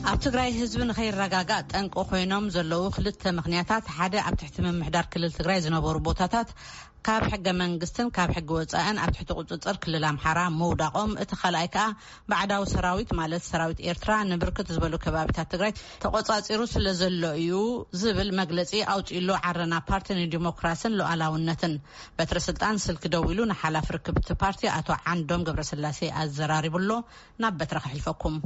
ኣብ ትግራይ ህዝቢ ንኸይረጋጋእ ጠንቂ ኮይኖም ዘለዉ ክልተ ምኽንያታት፣ ሓደ ኣብ ትሕቲ ምምሕዳር ክልል ትግራይ ዝነበሩ ቦታታት ካብ ሕገ መንግስትን ካብ ሕጊ ወፃእን ኣብ ትሕቲ ቁፅፅር ክልል ኣምሓራ ምውዳቖም፣ እቲ ካልኣይ ከዓ ባዕዳዊ ሰራዊት ማለት ሰራዊት ኤርትራ ንብርክት ዝበሉ ከባቢታት ትግራይ ተቆፃፂሩ ስለ ዘሎ እዩ ዝብል መግለፂ ኣውፂእሉ ዓረና ፓርቲ ንዲሞክራስን ሉዓላውነትን። በትረ ስልጣን ስልኪ ደዊሉ ንሓላፊ ርክብቲ ፓርቲ ኣቶ ዓንዶም ገብረስላሴ ኣዘራሪቡሎ። ናብ በትረ ከሕልፈኩም።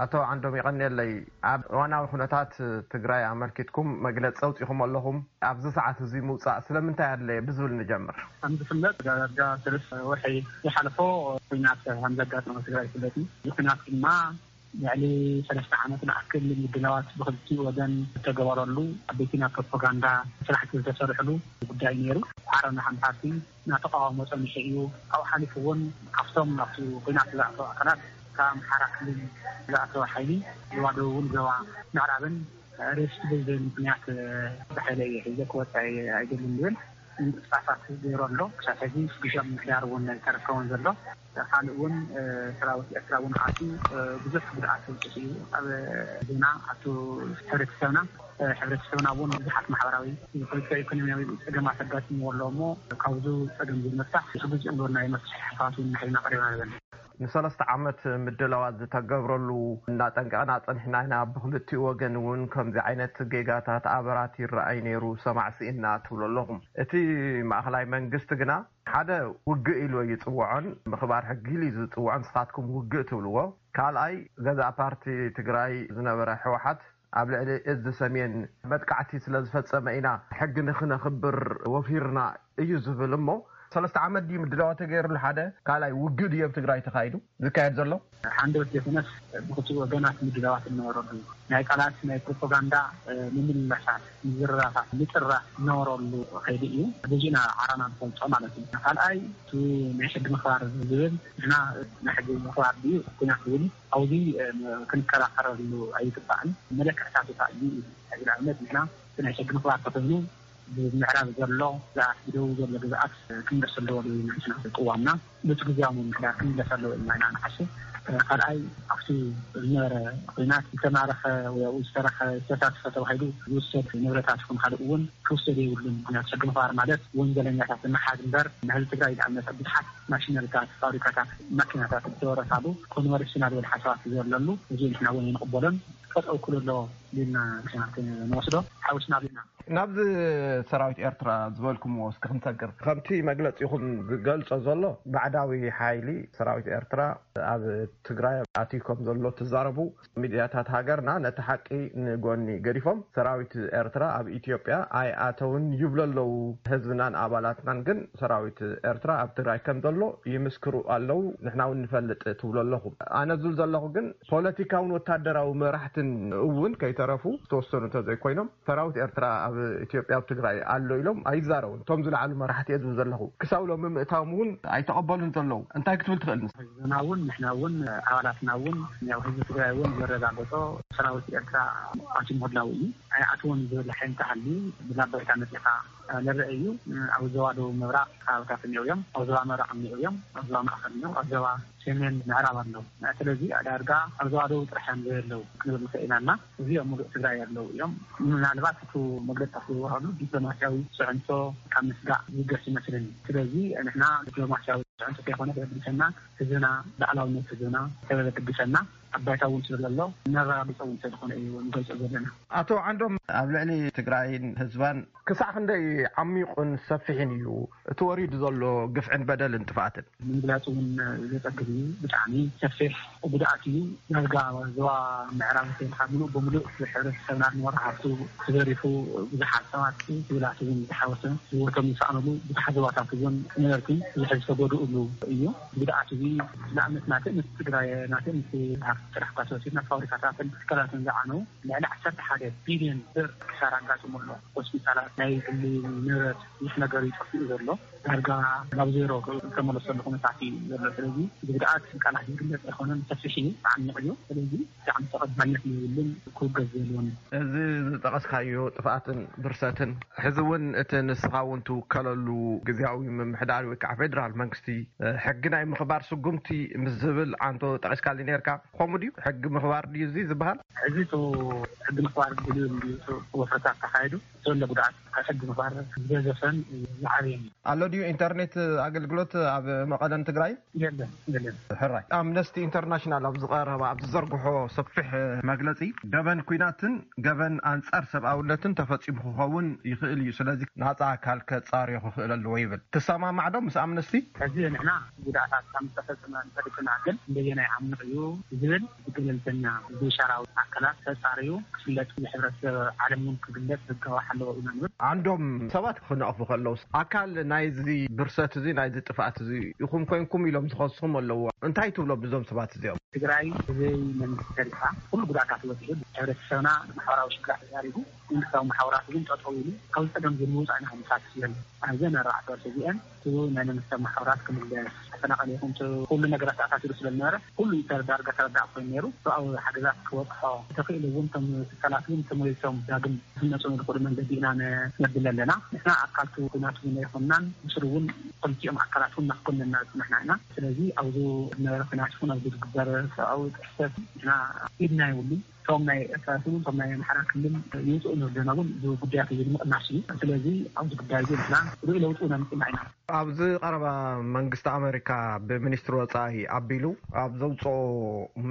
ኣቶ ዓንዶም ይቐንየለይ። ኣብ እዋናዊ ኩነታት ትግራይ ኣመልኪትኩም መግለፂ ኣውፂኹም ኣለኹም። ኣብዚ ሰዓት እዚ ምውፃእ ስለምንታይ ኣድለየ ብዝብል ንጀምር። ከም ዝፍለጥ ዳርጋ ሰለስተ ወርሒ ዝሓለፎ ኩናት ከም ዘጋጠመ ትግራይ ይፍለጥ እዩ። እዚ ኩናት ድማ ልዕሊ ሰለስተ ዓመት ንኣክል ምድላዋት ብክልቲኡ ወገን ዝተገበረሉ ዓበይቲ ናይ ፕሮፓጋንዳ ስራሕቲ ዝተሰርሕሉ ጉዳይ ነይሩ። ዓረና ከም ፓርቲ እናተቃወሞ ፀኒሑ እዩ። ካብኡ ሓሊፉ እውን ካብቶም ናብቲ ኩናት ዝኣተዉ ኣካላት ካብ ኣምሓራ ክልል ዝኣተወ ሓይሊ ዞባ ደቡብን ዞባ ምዕራብን ሬስት ብዘይ ምክንያት ብሓይለ እየ ሒዘ ክወፅእ ኣይደልን ዝብል ምንቅስቃሳት ገይሩ ኣሎ። ክሳብ ሕዚ ግሻ ምምሕዳር እውን ኣይተረከቦን ዘሎ። ካልእ እውን ሰራዊት ኤርትራ እውን ኣትዩ ብዙሕ ጉድኣት ኣውፅኡ እዩ። ኣብ ዜና ኣብቲ ሕብረተሰብና ሕብረተሰብና እውን ብዙሓት ማሕበራዊ ፖለቲካዊ ኢኮኖሚያዊ ፀገማት ኣጋጢምዎ ኣሎ እሞ ካብዚ ፀገም ዝመፍታሕ እቲ ግዜ እምበር ናይ መፍትሒ ሓሳባት እውን ንሕና ቀሪብና ንበል። ንሰለስተ ዓመት ምድላዋት ዝተገብረሉ እናጠንቀቕና ፀኒሕና ኢና። ብክልቲኡ ወገን እውን ከምዚ ዓይነት ጌጋታት ኣበራት ይረኣይ ነይሩ፣ ሰማዕ ስኢንና ትብሉ ኣለኹም። እቲ ማእኸላይ መንግስቲ ግና ሓደ ውግእ ኢሉ ኣይፅውዖን፣ ምኽባር ሕጊ ኢሉ እዩ ዝፅውዖ፣ ንስኻትኩም ውግእ ትብልዎ። ካልኣይ ገዛእ ፓርቲ ትግራይ ዝነበረ ህወሓት ኣብ ልዕሊ እዚ ሰሜን መጥቃዕቲ ስለ ዝፈፀመ ኢና ሕጊ ንክነኽብር ወፊርና እዩ ዝብል እሞ ሰለስተ ዓመት ድዩ ምድላዋ ተገይርሉ ሓደ ካልኣይ ውግእ ድዩ ኣብ ትግራይ ተኻይዱ ዝካየድ ዘሎ? ሓንደበት ዘይኮነስ ብክልቲኡ ወገናት ምድላዋት ዝነበረሉ ናይ ቃላት ናይ ፕሮፓጋንዳ ምምልላሳት ምዝርራፋት ምጥራፍ ዝነበረሉ ከይዲ እዩ። በዚ ኢና ዓራና ንፈልጦ ማለት እዩ። ካልኣይ እቲ ናይ ሕጊ ምኽባር ዝብል ንሕና ናይ ሕጊ ምኽባር ድዩ ኩናት ዝብል ኣብዚ ክንከራኸረሉ ኣይግባእን። መለክዕታት እዩ። ንኣብነት ንሕና እቲ ናይ ሕጊ ምኽባር ተኮይኑ ብምዕራብ ዘሎ ግዝኣት ብደቡብ ዘሎ ግዝኣት ክምለስ ኣለዎ ዝብል ኢና ንሕና ቅዋምና። ነቲ ግዝያዊ ምምሕዳር ክምለስ ኣለዎ ኢልና ኢና ንሓስብ። ካልኣይ ኣብቲ ዝነበረ ኩናት ዝተማረኸ ወይ ኣብኡ ዝተረኸ ዝተሳተፈ ተባሂሉ ዝውሰድ ንብረታት ይኹን ካልእ እውን ክውሰድ የብሉን። ምክንያቱ ሕጊ ምኽባር ማለት ወንጀለኛታት ንምሓዝ እምበር ንህዝቢ ትግራይ ዝኣመፀ ብዙሓት ማሽነሪታት፣ ፋብሪካታት፣ ማኪናታት ዝተወረሳሉ ኮንቨርሽናል ወደ ሓሳባት ዘለሉ እዚ ንሕና እውን ኣይንቕበሎን። ጠጠው ክሉ ኣለዎ ኢልና ንሕና ንወስዶ ሓዊስና ኣለና። ናብዚ ሰራዊት ኤርትራ ዝበልኩምዎ እስኪ ክንሰግር። ከምቲ መግለፂኹም ዝገልፆ ዘሎ ባዕዳዊ ሓይሊ ሰራዊት ኤርትራ ኣብ ትግራይ ኣትዩ ከም ዘሎ ትዛረቡ ሚድያታት ሃገርና ነቲ ሓቂ ንጎኒ ገዲፎም ሰራዊት ኤርትራ ኣብ ኢትዮጵያ ኣይኣተውን ይብሉ ኣለዉ። ህዝብናን ኣባላትናን ግን ሰራዊት ኤርትራ ኣብ ትግራይ ከም ዘሎ ይምስክሩ ኣለዉ። ንሕና እውን ንፈልጥ ትብሉ ኣለኹም። ኣነ ዝብል ዘለኹ ግን ፖለቲካውን ወታደራዊ መራሕትን እውን ከይተረፉ ዝተወሰኑ እንተዘይኮይኖም ሰራዊት ኤርትራ ኣብ ኢትዮጵያ ኣብ ትግራይ ኣሎ ኢሎም ኣይዛረቡን። እቶም ዝለዓሉ መራሕቲ እየ ዝብል ዘለኹ ክሳብ ሎሚ ምእታዎም እውን ኣይተቐበሉን ዘለዉ። እንታይ ክትብል ትኽእል? ንስ ህዝብና እውን ንሕና እውን ኣባላትና እውን ያው ህዝቢ ትግራይ እውን ዘረጋገጾ ሰራዊት ኤርትራ ኣትዩ ምህላው እዩ። ኣይኣትዎን ዝብል ሓይሊ እንተሃልዩ ብዛ ባይታ መፂኻ ዝረአ እዩ። ኣብ ዞባ ደቡብ ምብራቕ ከባብታት እኒኦ እዮም። ኣብ ዞባ ምብራቕ እኒኦ እዮም። ኣብ ዞባ ማእኸል እኒኦ ኣብ ዞባ ሰሜን ምዕራብ ኣለዉ። ስለዚ ዳርጋ ኣብ ዞባ ደቡብ ጥራሕ እዮም ዘየለዉ ክንብል ንኽእል ኢና እና እዚኦም ሙሉእ ትግራይ ኣለዉ እዮም። ምናልባት እቲ መግለፂ ዝወሃሉ ዲፕሎማስያዊ ፅዕንቶ ካብ ምስጋእ ዝገስ ይመስለኒ። ስለዚ ንሕና ዲፕሎማስያዊ ፅዕንቶ ከይኮነ ዘገድሰና ህዝብና፣ ላዕላውነት ህዝብና ተበለ ክግሰና ኣብ ባይታ እውን ስለዘሎ ነረጋግፆ እውን ስለዝኾነ እዩ ንገልፆ ዘለና። ኣቶ ዓንዶም ኣብ ልዕሊ ትግራይን ህዝባን ክሳዕ ክንደይ ዓሚቑን ሰፊሕን እዩ እቲ ወሪዱ ዘሎ ግፍዕን በደልን ጥፍኣትን? ንምግላፅ እውን ዘፀግም እዩ። ብጣዕሚ ሰፊሕ ጉድኣት እዩ። ዳርጋ ዞባ ምዕራብ እንተይልካ ሙሉእ ብሙሉእ ሕብረተሰብና ንወርሓቱ ተዘሪፉ ብዙሓት ሰባት ክብላት እውን ዝሓወሰ ህይወቶም ዝሰኣነሉ ብዙሓት ዞባታት እውን ነበርቲ ብዙሕ ዝተጎድእሉ እዩ። ጉድኣት እዚ ንኣብነት ናትእምት ትግራይ ናትእምት ሃፍቲ ጥራሕ እኳ ተወሲድና ፋብሪካታትን ትካላትን ዝዓነው ልዕሊ ዓሰርተ ሓደ ቢልዮን ብር ክሳራ ኣጋጢሙ ኣሎ። ሆስፒታላት ናይ ግሊ ንብረት ብዙሕ ነገር እዩ ጠፊኡ ዘሎ። ዳርጋ ናብ ዜሮ ዝተመለሰሉ ኩነታት እዩ ዘሎ። ስለዚ እዚ ጉድኣት ቃላት ዝግለፅ ኣይኮነን፣ ሰፊሕ እዩ፣ ተዓሚቕ እዩ። ስለዚ ብጣዕሚ ተቐባልነት የብሉን፣ ክውገዝ የብሉን። እዚ ዝጠቐስካዮ ጥፍኣትን ብርሰትን ሕዚ እውን እቲ ንስኻ እውን ትውከለሉ ግዝያዊ ምምሕዳር ወይ ከዓ ፌደራል መንግስቲ ሕጊ ናይ ምኽባር ስጉምቲ ምስ ዝብል ዓንቶ ጠቒስካሊ ነርካ። ድዩ? ሕጊ ምኽባር ድዩ እዚ ዝበሃል? ሕዚ እቲ ሕጊ ምኽባር ድልዩ ድዩ? እቲ ወፍርታት ተኻይዱ ዘሎ ጉድኣት ካብ ሕጊ ምኽባር ዝበዘፈን ዝዓብየን እዩ። ኣሎ ድዩ ኢንተርኔት ኣገልግሎት ኣብ መቐለን ትግራይን? የለን፣ የለን። ሕራይ። ኣምነስቲ ኢንተርናሽናል ኣብ ዝቐረበ፣ ኣብ ዝዘርግሖ ሰፊሕ መግለጺ፣ ገበን ኲናትን ገበን ኣንጻር ሰብኣውነትን ተፈጺሙ ክኸውን ይኽእል እዩ። ስለዚ ናጻ ኣካል ከጻርዮ ክኽእል ኣለዎ ይብል። ትሰማማዕ ዶ ምስ ኣምነስቲ? ሕዚ ንሕና ጉድኣታት ከም ዝተፈጸመ እንፈልጥና፣ ግን እንደየናይ ዓሚቕ እዩ ዝብል ብገለልተኛ ብሸራዊ ኣካላት ተጻርዩ ክፍለጥ፣ ንሕብረተሰብ ዓለም እውን ክግለጽ ዝገባሕ ኣለዎ ኢና ንብል። ዓንዶም ሰባት ክነቕፉ ከለውስ፣ ኣካል ናይዚ ብርሰት እዚ፣ ናይዚ ጥፍኣት እዚ ኢኹም ኮይንኩም ኢሎም ዝኸስኹም ኣለዎ። እንታይ ትብሎ ብዞም ሰባት እዚኦም? ትግራይ ብዘይ መንግስቲ ተሪፋ፣ ኩሉ ጉድኣታት በፂሑ፣ ሕብረተሰብና ማሕበራዊ ሽግራት ተዛሪቡ፣ መንግስታዊ ማሕበራት እውን ጠጠው ኢሉ፣ ካብ ፀገም ዝንውፃእ ኢና ክንሳትፍ ዘለና። ኣብዘን ኣርባዕተ ወርሒ እዚአን እቲ ናይ መንግስታዊ ማሕበራት ክምለስ፣ ተፈናቐለ ይኹን እቲ ኩሉ ነገራት ተኣሳሲሩ ስለ ዝነበረ፣ ኩሉ ተረዳ-፣ ዳርጋ ተረዳእ ኮይኑ ነይሩ። ሰብኣዊ ሓገዛት ክበፅሖ እንተኽእል እውን፣ እቶም ትካላት እውን ተመሊሶም ዳግም ክህነፁ ንዝኽእሉ መንገዲ ኢና ነ-፣ ነብል ኣለና። ንሕና ኣካልቱ ኩናት እውን ኣይኮንናን፣ ብስሩ እውን ክልቲኦም ኣካላት እውን ናፍቆነና ዝፅናሕና ኢና። ስለዚ ኣብዚ ዝነበረ ኩናት ይኹን ኣብዚ ዝግበር ሰብኣዊ ጥሕሰት ንሕና ኢድና የብሉን። እቶም ናይ ኤርትራ ይኹኑ እቶም ናይ ኣምሓራ ክልል ይውፅኡ ንወገኖም እውን እዚ ጉዳያት እዚ ንምቕናስ እዩ። ስለዚ ኣብዚ ጉዳይ እዚ ንሕና ርኡይ ለውጢ እውን ኣምፂእና ኢና። ኣብዚ ቀረባ መንግስቲ ኣመሪካ ብሚኒስትሪ ወፃኢ ኣቢሉ ኣብ ዘውፅኦ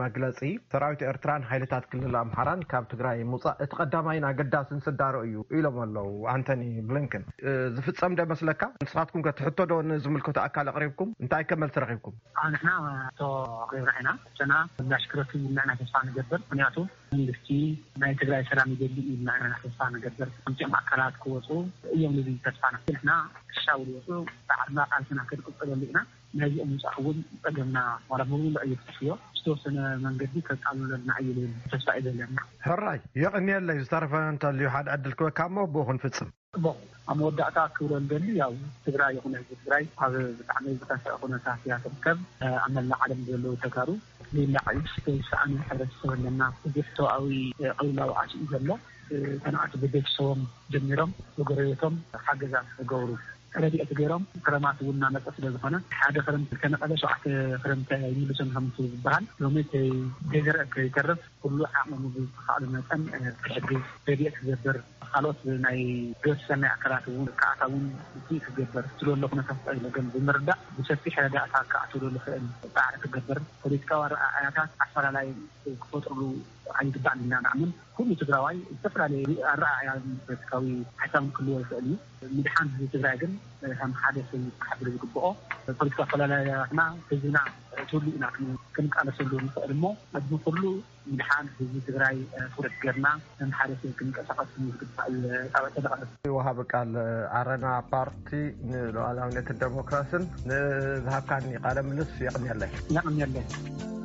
መግለፂ፣ ሰራዊት ኤርትራን ሓይልታት ክልል ኣምሓራን ካብ ትግራይ ምውፃእ እቲ ቀዳማይን ኣገዳስን ስዳሮ እዩ ኢሎም ኣለዉ ኣንቶኒ ብሊንከን። እ፣ ዝፍፀም ዶ ይመስለካ? ንስኻትኩም ከ ትሕቶ ዶ ንዝምልከቶ ኣካል ኣቕሪብኩም? እንታይ ከ መልሲ ረኺብኩም? ኣዎ፣ ንሕና ሕቶ ኣቕሪብና ኢና። ሕቶና ምላሽ ክረክብ ኢልና ኢና ተስፋ ንገብር። ምኽንያቱ መንግስቲ ናይ ትግራይ ሰላም ይደሊ ኢልና ኢና ተስፋ ንገብር። ከምዚኦም ኣካላት ክወፁ እዮም ንብል ተስፋና። ንሕና ክሻው ዝወፁ ፃዕርና ቃልስና ክንቅፅለሉ ኢና። ናይዚኦም ምውፃእ እውን ፀገምና ዋላ ሙሉእ እዩ ክጠፍዮ፣ ዝተወሰነ መንገዲ ከቃልለልና እዩ ዝብል ተስፋ እዩ ዘለና። ሕራይ፣ የቐንየለይ። ዝተረፈ እንተልዩ ሓደ ዕድል ክበካ እሞ ብኡ ክንፍፅም። ጽቡቕ። ኣብ መወዳእታ ክብሎ ዝደሊ፣ ያው ትግራይ ይኹን ህዝቢ ትግራይ ኣብ ብጣዕሚ ዝኸፍአ ኩነታት እያ ትርከብ። ኣብ መላእ ዓለም ዘለዉ ተጋሩ ንላዕሊ ዝተሰኣነ ሕብረተሰብ ኣለና። ብዙሕ ሰብኣዊ ቅልውላው ኣትዩ ዘሎ። ተናኣቲ ብቤተሰቦም ጀሚሮም ብጎረቤቶም ሓገዛት ክገብሩ ረድኤት ገይሮም፣ ክረማት እውን እናመፀ ስለ ዝኾነ፣ ሓደ ክረምቲ ከነቐለ ሸውዓተ ክረምቲ ኣይምልሶን ከምቲ ዝበሃል፣ ሎሚ እቲ ዘይዘርአ ከይተርፍ ኩሉ ዓቕሙ ብዝተኻእሎ መጠን፣ እ፣ ክሕግዝ፣ ረድኤት ክገብር፣ ካልኦት ናይ ግብረ ሰናይ ኣካላት እውን ክኣትው እውን ውፅኢት ክገብር ዝደሎ ኩነታት ፀገም ብምርዳእ፣ ብሰፊሕ ረዳእታ ክኣትውሉ ዝኽእል ፃዕሪ ክገብር፣ ፖለቲካዊ ኣረኣእያታት ኣፈላላይ ክፈጥርሉ ኣይግባእን ኢልና ንኣምን። ኩሉ ትግራዋይ ዝተፈላለየ ኣረኣእያን ፖለቲካዊ ሓሳብን ክህልዎ ይኽእል እዩ። ምድሓን ህዝቢ ትግራይ ግን ከም ሓደ ሰብ ክሓድር ዝግብኦ፣ ፖለቲካ ኣፈላላያትና ህዝብና ትህሉ ኢና ክን-፣ ክንቃለሰሉ ንኽእል እሞ፣ ኣብዚ ኩሉ ምድሓን ህዝቢ ትግራይ ትኹረት ገርና ከም ሓደ ሰብ ክንቀሳቐስ ዝግባእ እዩ። ጣብዕ ተደቐረብ። ወሃቢ ቃል ዓረና ፓርቲ ንሉዓላዊነትን ዴሞክራስን ንዝሃብካኒ ቃለ ምልስ የቕንየለይ። የቕንየለይ።